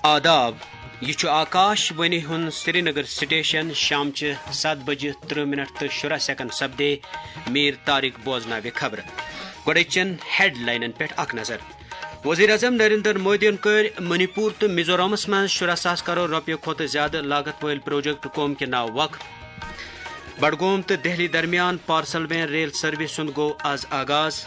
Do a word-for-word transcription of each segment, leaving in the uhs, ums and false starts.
آداب، یہِ چھُ آکاش وانی ہُنٛد سرینگر سٹیشن۔ شامچہِ ستھ بجہِ ترٕہ منٹ تہٕ شُراہ سیکنڈ سپدے۔ میر طارق بوزناوِ خبرٕ۔ گۄڈٕچٮ۪ن ہیڈلاینن پٮ۪ٹھ اکھ نظر۔ وزیر اعظم نریندر مودیَن کٔرۍ منی پور تہٕ میزورامس منٛز شُراہ ساس کرور رۄپیہِ کھۄتہٕ زیادٕ لاگت وٲلۍ پروجیکٹ قوم کہِ ناو وقف۔ بڈگوم تہٕ دہلی درمیان پارسل وین ریل سروس ہُنٛد گوٚو آز آغاز۔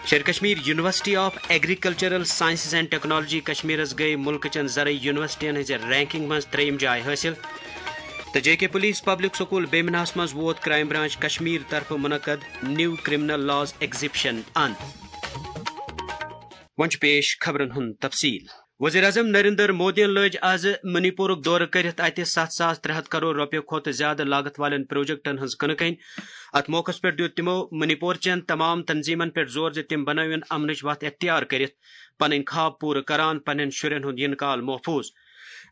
Sher Kashmir university of agricultural sciences and technology کشمیرس گٔے مُلکہٕ چٮ۪ن زرعی یونیورسٹین ہٕنٛزِ رینکنگ منٛز ترٛیٚیِم جاے حٲصِل۔ تہٕ جے کے پولیس پبلک سکول بیمناہس منٛز ووت کرائم برانچ کشمیر طرفہٕ منعقد نیو کرمنل لاز ایگزیبشن ان۔ وۄنۍ چھُ پیش خبرن ہُنٛد تفصیل۔ وزیر اعظم نریندر مودیَن لٲج آز منی پورُک دورٕ کٔرِتھ اَتہِ ستھ ساس ترٛےٚ ہَتھ کرور رۄپیہِ کھۄتہٕ زیادٕ لاگت والٮ۪ن پروجیکٹن ہٕنٛز کٕنہٕ کٔنۍ۔ اَتھ موقعس پٮ۪ٹھ دیُت تِمو منی پور چٮ۪ن تمام تنظیمن پٮ۪ٹھ زور زِ تِم بنٲوِن امنٕچ وتھ اختیار کٔرِتھ پنٕنۍ خواب پوٗرٕ کران، پننٮ۪ن شُرٮ۪ن ہُنٛد یِنہٕ کال محفوظ۔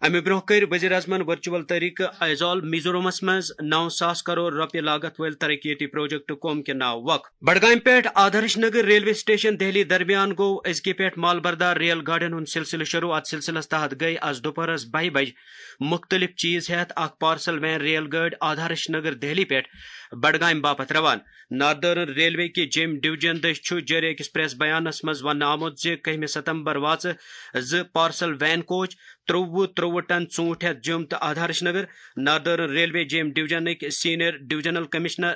امہِ برونٛہہ کٔرۍ وزیر اعظمن ورچوئل طریقہٕ ایزول میزورامس منٛز نو ساس کرور رۄپیہِ لاگت وٲلۍ ترقیتی پروجیکٹ قوم کہِ ناو وقف۔ بڈگامہِ پٮ۪ٹھ آدھارش نگر ریلوے سٹیشن دہلی درمیان گوٚو أزکہِ پٮ۪ٹھ مال بردار ریل گاڑٮ۪ن ہُنٛد سلسلہٕ شروع۔ اتھ سلسلس تحت گٔے از دُپہرس بَہہِ بجہِ مُختٔلِف چیٖز ہٮ۪تھ اکھ پارسل وین ریل گٲڑۍ آدھارش نگر دہلی پٮ۪ٹھ بڈگامہِ باپتھ روانہٕ۔ ناردرن ریلوے کہِ جیمۍ ڈویژن دٔسۍ چھُ جٲری أکِس پریس بیانس منٛز وننہٕ آمُت زِ کٔہمہِ ستمبر واژٕ زٕ پارسل وین کوچ ترٛوٚوُہ ترٛوٚوُہ ٹن ژوٗنٛٹھۍ ہٮ۪تھ جوٚم تہٕ آدھارش نگر۔ ناردرن ریلوے جیمۍ ڈویژنٕکۍ senior divisional commissioner,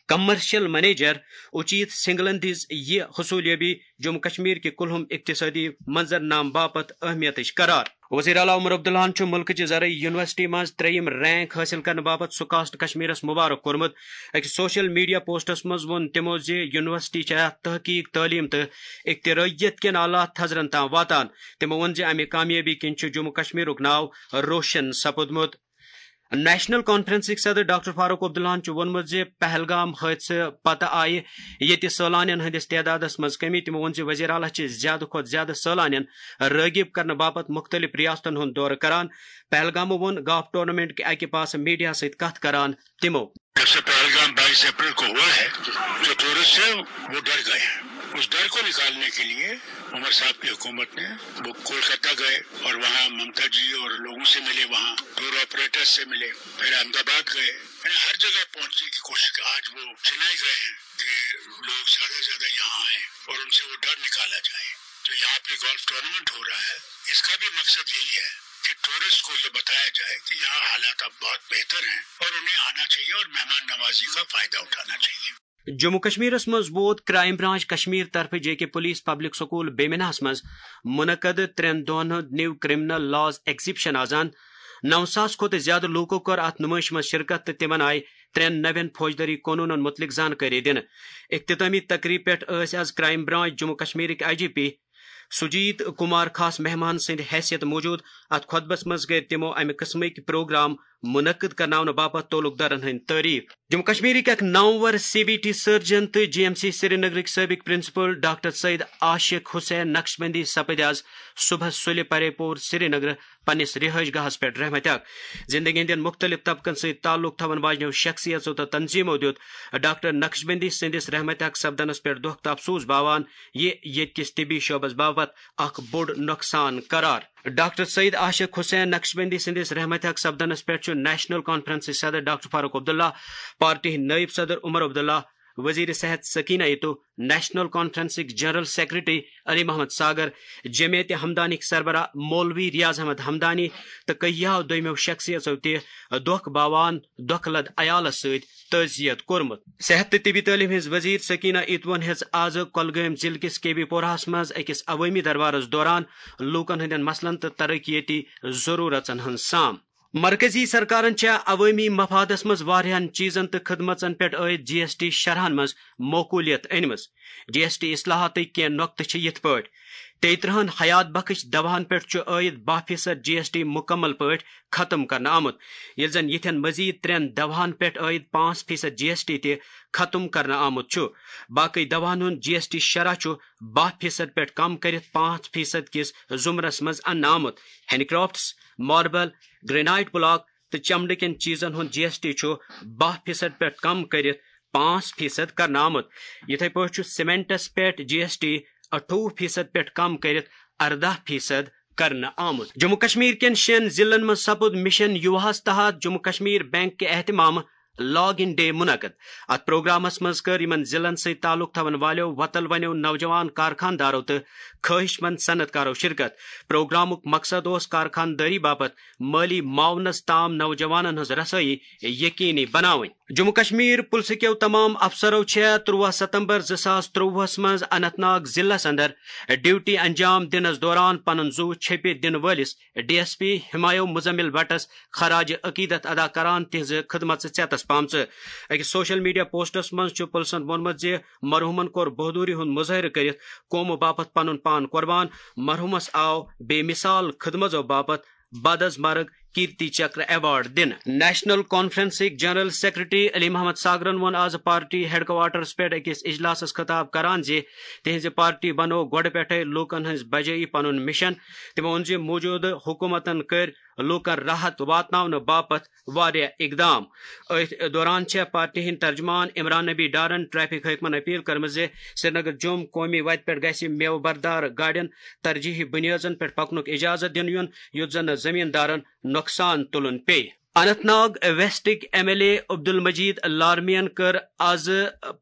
commercial manager Uchit سنگلن دِژ یہِ حصولیابی جموں کشمیر کہِ کُلہُم اقتصٲدی منظرنامہٕ باپتھ اہمیتٕچ قرار۔ وزیر اعلیٰ عمر عبداللہَن چھُ مُلکٕچہِ زرعی یونیورسٹی منٛز ترٛیٚیِم رینک حٲصِل کرنہٕ باپتھ سکاسٹ کشمیرس مبارک کوٚرمُت۔ أکِس سوشل میڈیا پوسٹس منٛز ووٚن تِمو زِ یونیورسٹی چھےٚ تحقیق، تعلیٖم تہٕ اختراعیت کٮ۪ن اعلیٰ تھزرن تام واتان۔ تِمو ووٚن زِ امہِ کامیٲبی کِنۍ چھُ جموں کشمیرُک ناو روشن سپُدمُت۔ نیشنل کانفرنسٕکۍ صدر ڈاکٹر فاروق عبداللہَن چھُ ووٚنمُت زِ پہلگام حٲدثہٕ پتہٕ آیہِ ییٚتہِ سٲلانٮ۪ن ہٕنٛدِس تعدادس منٛز کمی۔ تِمو ووٚن زِ وزیر اعلیٰ چھِ زیادٕ کھۄتہٕ زیادٕ سٲلانٮ۪ن رٲغب کرنہٕ باپتھ مُختٔلِف ریاستن ہُنٛد دورٕ کران۔ پہلگامہٕ ووٚن گالف ٹورنامنٹ کہِ اکہِ پاسہٕ میڈیا سۭتۍ کتھ کران تِمو۔ جب سے پہلگام بائیس اپریل کو ہوا ہے، جو ٹورسٹ ہے، وہ ڈر گئے ہیں۔ اس ڈر کو نکالنے کے لیے عمر صاحب کی حکومت نے وہ کولکاتہ گئے اور وہاں ممتا جی اور لوگوں سے ملے، وہاں ٹور آپریٹر سے ملے، پھر احمد آباد گئے، یعنی ہر جگہ پہنچنے کی کوشش کی۔ آج وہ چنئی گئے ہیں کہ لوگ زیادہ سے زیادہ یہاں آئیں اور ان سے وہ ڈر نکالا جائے۔ تو یہاں پہ گالف ٹورنامنٹ ہو رہا ہے، اس کا بھی مقصد یہی ہے کہ ٹورسٹ کو یہ بتایا جائے کہ یہاں حالات اب بہت بہتر ہیں اور انہیں آنا چاہیے اور مہمان نوازی کا فائدہ اٹھانا چاہیے۔ جموں کشمیرس منٛز ووت کرائم برانچ کشمیر طرفہٕ جے کے پولیس پبلک سکول بیمناہس منٛز منعقد ترٛٮ۪ن دۄہن ہُنٛد نیو کرمنل لاز ایگزیبشن آز۔ نو ساس کھۄتہٕ زیادٕ لوٗکو کٔر اتھ نُمٲیشہِ منٛز شرکت تہٕ تِمن آیہِ ترٛٮ۪ن نوٮ۪ن فوجدٲری قونوٗنن مُتعلق زانکٲری دِنہٕ۔ اختتامی تقریب پٮ۪ٹھ ٲسۍ از کرائم برانچ جموں کشمیرٕکۍ I G P Sujit Kumar خاص مہمان سٕنٛدِ حیثیت موجود۔ اتھ خطبس منٛز کٔرۍ تِمو امہِ قٕسمٕکۍ پروگرام منعقد کرناونہٕ باپتھ تعلقدارن ہٕنٛدۍ تعریف۔ جموں کشمیرٕکۍ اکھ نامور سی بی ٹی سرجن تہٕ جی ایم سی سرینگرٕکۍ سٲبق پرنسپل ڈاکٹر سید عاشق حسین نقشبندی سپٕدۍ از صبحس سُلہِ پرے پور سرینگرٕ پننِس رہائش گاہس پٮ۪ٹھ رحمتِ حق۔ زندگی ہٕنٛدٮ۪ن مُختٔلِف طبقن سۭتۍ تعلق تھاوَن واجنیو شخصیژو تہٕ تنظیمو دیُت ڈاکٹر نقشبندی سٕنٛدِس رحمتِ حق سپدنس پٮ۪ٹھ دۄکھ تہٕ افسوس باوان، یہِ ییٚتہِ کِس طبی شعبس باپتھ اکھ بوٚڑ نۄقصان قرار۔ ڈاکٹر سید عاشق حسین نقشبندی سٕنٛدِس رحمتِ حق سپدنس پٮ۪ٹھ چھُ نیشنل کانفرنسٕچ صدر ڈاکٹر فاروق عبداللہ، پارٹی ہٕنٛدۍ نٲیِب صدر عمر عبداللہ، وزیر صحت سکینہ ایتو، نیشنل کانفرنسٕکۍ جنرل سیکرٹری علی محمد ساگر، جمعیت ہمدانٕکۍ سربراہ مولوی ریاض احمد ہمدانی تہٕ کٔہیاہو دوٚیمٮ۪و شخصیژو تہِ دۄکھ باوان دۄکھٕ لد عیالس سۭتۍ تعزیت کوٚرمُت۔ صحت تہٕ طبی تعلیٖم ہٕنٛز وزیر سکینہ ایتوَن ہیٚژ آز کۄلگٲمۍ ضلعہٕ کِس کے بی پوراہس منٛز أکِس عوٲمی دربارس دوران لوٗکن ہٕنٛدٮ۪ن مسلن تہٕ ترقیتی ضروٗرژن ہٕنٛز سام۔ مرکزی سرکارن چھےٚ عوٲمی مفادس منٛز واریاہن چیزن تہٕ خدمژن پٮ۪ٹھ عٲید جی ایس ٹی شرحن منٛز معقولیت أنمٕژ۔ جی ایس ٹی اصلاحاتٕکۍ کینٛہہ نۄقطہٕ چھِ یِتھ پٲٹھۍ: تیٚیہِ ترٕہن حیات بخش دواہن پٮ۪ٹھ چھُ عٲید باہ فیصد جی ایس ٹی مُکمل پٲٹھۍ ختم کرنہٕ آمُت، ییٚلہِ زن یِتھٮ۪ن مزید ترٛٮ۪ن دواہن پٮ۪ٹھ عٲید پانٛژھ فیصد جی ایس ٹی تہِ ختم کرنہٕ آمُت چھُ۔ باقٕے دواہن ہُنٛد جی ایس ٹی شرح چھُ باہ فیصد پٮ۪ٹھ کم کٔرِتھ پانٛژھ فیصد کِس زمرس منٛز اننہٕ آمُت۔ Handy crafts, marble, granite block تہٕ چمڑٕ کٮ۪ن چیزن ہُنٛد جی ایس ٹی چھُ باہ فیصد پٮ۪ٹھ کم کٔرِتھ پانٛژھ فیصد کرنہٕ آمُت۔ یِتھے پٲٹھۍ چھُ سیمنٹس پٮ۪ٹھ جی ایس ٹی اَٹھووُہ فیصد پٮ۪ٹھ کم کٔرِتھ ارداہ فیصد کرنہٕ آمُت۔ جموں کشمیر کٮ۪ن شٮ۪ن ضلعن منٛز سپُد مشن یوہاہس تحت جموں کشمیر بینک کہِ اہتمامہٕ لاگ ان ڈے منعقد۔ اتھ پروگرامس منٛز کٔر یِمن ضلعن سۭتۍ تعلق تھاون والٮ۪و وۄتل ونٮ۪و نوجوان کارخان دارو تہٕ خٲہِش مند صنعت کارو شرکت۔ پروگرامُک مقصد اوس کارخان دٲری باپتھ مٲلی معاونس تام نوجوانن ہٕنٛز رسٲیی یقینی بناوٕنۍ۔ جموں کشمیر پُلسہٕ کٮ۪و تمام افسرو چھےٚ تُرٛواہ ستمبر زٕ ساس ترٛۆوُہس منٛز اننت ناگ ضلعس اندر ڈیوٹی انجام دِنس دوران پنُن زُو چھیٚپہِ دِنہٕ وٲلِس D S P Humayun Muzamil بٹس خراج عقیدت ادا کران تہنٛزِ خدمژٕ ژیتس پامژٕ۔ أکِس سوشل میڈیا پوسٹس منٛز چھُ پُلسن ووٚنمُت زِ مرحومن کوٚر بہادری ہُنٛد مظٲہرٕ کٔرِتھ قومہٕ باپتھ پنُن پان قربان۔ مرحومس آو بے مثال خدمژو باپتھ بدس مرگ کیرتی چکر ایوارڈ دِنہٕ۔ نیشنل کانفرنسٕکۍ جنرل سیکرٹری علی محمد ساگرن ووٚن آز پارٹی ہیڈ کوارٹرس پٮ۪ٹھ أکِس اجلاسس خطاب کران زِ تِہنٛزِ پارٹی بنوو گۄڈٕ پٮ۪ٹھے لوٗکن ہٕنٛز بجٲیی پنُن مشن۔ تِمو ووٚن زِ موٗجوٗدٕ حکوٗمتن کٔرۍ لوٗکن راحت واتناونہٕ باپتھ واریاہ اقدام۔ أتھۍ دوران چھےٚ پارٹی ہٕنٛدۍ ترجمان عمران نبی ڈارن ٹریفک حٲکمن اپیل کٔرمٕژ زِ سرینگر جوٚم قومی وتہِ پٮ۪ٹھ گژھِ میوٕ بردار گاڑٮ۪ن ترجیحی بنیٲدن پٮ۪ٹھ پکنُک اجازت دِنہٕ یُن، یُتھ زن نہٕ زمیٖندارن نۄقصان تُلُن پیٚیہِ۔ Anant Nag ویسٹٕکۍ M L A Abdul Majeed لارمین کٔر آز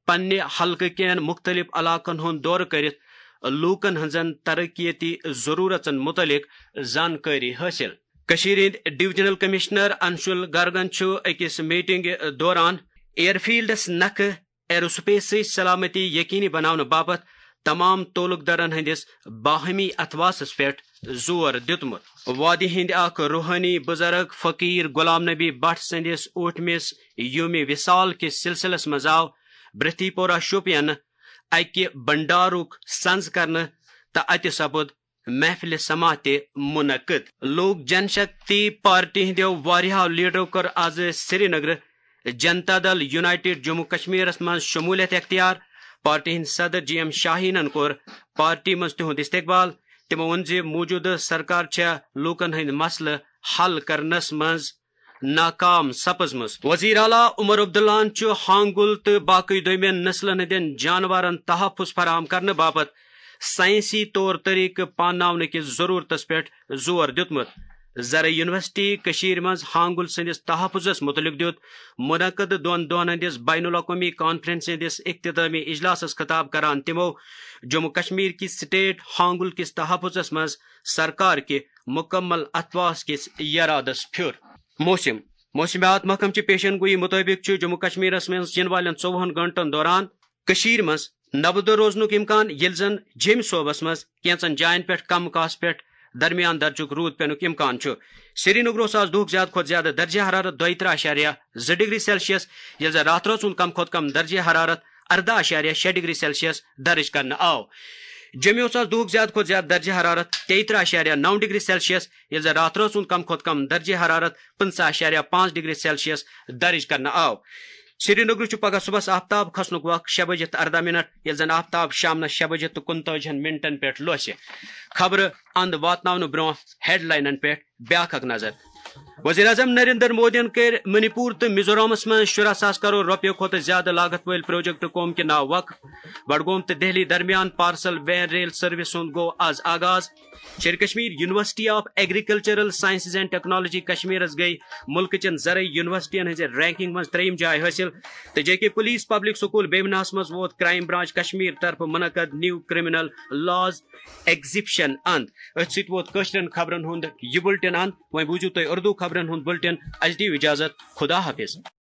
پننہِ حلقہٕ کٮ۪ن مُختٔلِف علاقن ہُنٛد دورٕ کٔرِتھ لوٗکن ہٕنٛزن ترقیتی ضروٗرژن مُتعلق زانکٲری حٲصِل۔ کٔشیٖرِ ہٕنٛدۍ ڈویژنل کمشنر انشول گرگن چھُ أکِس میٹنگ دوران ایئر فیلڈس نکھٕ ایرو سپیسٕچ سلامتی یقینی بناونہٕ باپتھ تمام تعلق دارن ہٕنٛدِس باہمی اتھواسس پٮ۪ٹھ زور دیُتمُت۔ وادی ہٕنٛدۍ اکھ روحٲنی بزرگ فقیر غلام نبی بٹ سٕنٛدِس ٲٹھمِس یومِ وصال کِس سلسلس منٛز آو برتھی پورہ شوپین اکہِ بنڈارُک سنز کرنہٕ تہٕ اتہِ سپُد محفلِ سماع تہِ منعقد۔ لوک جن شکتی پارٹی ہٕنٛدیو واریاہو لیڈرو کٔر آز سرینگرٕ جنتا دل یونائیٹڈ جموں کشمیرس منٛز شمولیت اختیار۔ پارٹی ہٕنٛدۍ صدر جی ایم شاہینن کوٚر پارٹی منٛز تِہُنٛد استقبال۔ تِمو ووٚن زِ موٗجوٗدٕ سرکار چھےٚ لوٗکن ہٕنٛدۍ مسلہٕ حل کرنس منٛز ناکام سپٕزمٕژ۔ وزیر اعلیٰ عمر عبداللہن چھُ ہانگل تہٕ باقٕے دوٚیمٮ۪ن نسلن ہٕنٛدٮ۪ن جانورن تحفظ فراہم کرنہٕ باپتھ سائنسی طور طریقہٕ پانناونہٕ کِس ضرورتس پٮ۪ٹھ زور دیُتمُت۔ زرعی یونیورسٹی کٔشیٖرِ منٛز ہانگل سٕنٛدِس تحفظس مُتعلق دیُت منعقد دۄن دۄہن ہٕنٛدِس بین الاقوٲمی کانفرنس ہٕنٛدِس اختتامی اجلاسس خطاب کران تِمو جموں کشمیر کِس سٹیٹ ہانگل کِس تحفظس منٛز سرکار کہِ مکمل اتھواس کِس یرادس پھیُر۔ موسم۔ موسمیات محکمہٕ چہِ پیشن گویی مُطٲبِق چھُ جموں کشمیرس منٛز یِنہٕ والٮ۪ن ژوٚوُہن گٲنٛٹن دوران کٔشیٖرِ منٛز نبہٕ دۄہ روزنُک امکان، ییٚلہِ زن جیٚمہِ صوبس منٛز کینٛژن جاین پٮ۪ٹھ کم کاسہٕ پٮ۪ٹھ درمیان درجُک روٗد پینُک امکان چھُ۔ سرینگرٕ اوس آز دُہُک زیادٕ کھۄتہٕ زیادٕ درجہ حرارت دۄیہِ ترٕٛہ اَشاریہ زٕ ڈگری سیلسیس، ییٚلہِ زن راتھ رٲژ ہُنٛد کم کھۄتہٕ کم درجہ حرارت ارداہ اَشاریہ شےٚ ڈگری سیلسیس درج کرنہٕ آو۔ جیٚمہِ اوس آز دُہُک زیادٕ کھۄتہٕ زیادٕ درجہ حرارت تیٚیہِ ترٕٛہ اَشاریہ نَو ڈگری سیلسیس، ییٚلہِ زن راتھ رٲژ ہُنٛد کم کھۄتہٕ کم درجہ حرارت پٕنٛژٕہ اَشاریہ پانٛژھ ڈگری سیلسیس درج کرنہٕ آو۔ سرینگرٕ چھُ پگہہ صبحس آفتاب کھسنُک وق شےٚ بجے تہٕ ارداہ منٹ، ییٚلہِ زن آفتاب شامنس شےٚ بجے تہٕ کُنتٲجِہن منٹن پٮ۪ٹھ لوسہِ۔ خبرٕ اند واتناونہٕ برونٛہہ ہیڈلاینن پٮ۪ٹھ بیاکھ اکھ نظر۔ وزیر اعظم نریندر مودیَن کٔرۍ منی پور تہٕ میزورامس منٛز شُراہ ساس کرور رۄپیہِ کھۄتہٕ زیادٕ لاگت وٲلۍ پروجیکٹ قوم کہِ ناو وقف۔ بڈگوم تہٕ دہلی درمیان پارسل وین ریل سروس ہُنٛد گوٚو آز آغاز۔ Sher Kashmir university of agricultural sciences and technology کشمیرس گٔے مُلکہٕ چٮ۪ن زرعی یونیورسٹین ہٕنٛزِ رینکنگ منٛز ترٛیٚیِم جاے حٲصِل۔ تہٕ جے کے پولیس پبلک سکول بیمناہس منٛز ووت کرائم برانچ کشمیر طرفہٕ منعقد نیو کرمنل لاز ایگزیبشن اند۔ أتھۍ سۭتۍ ووت کٲشرٮ۪ن خبرن ہُنٛد یہِ بُلٹن اند۔ وۄنۍ بوٗزِو تُہۍ اردو خبرن ہُنٛد بُلٹن۔ اَسہِ دِیِو اجازت۔ خدا حافظ۔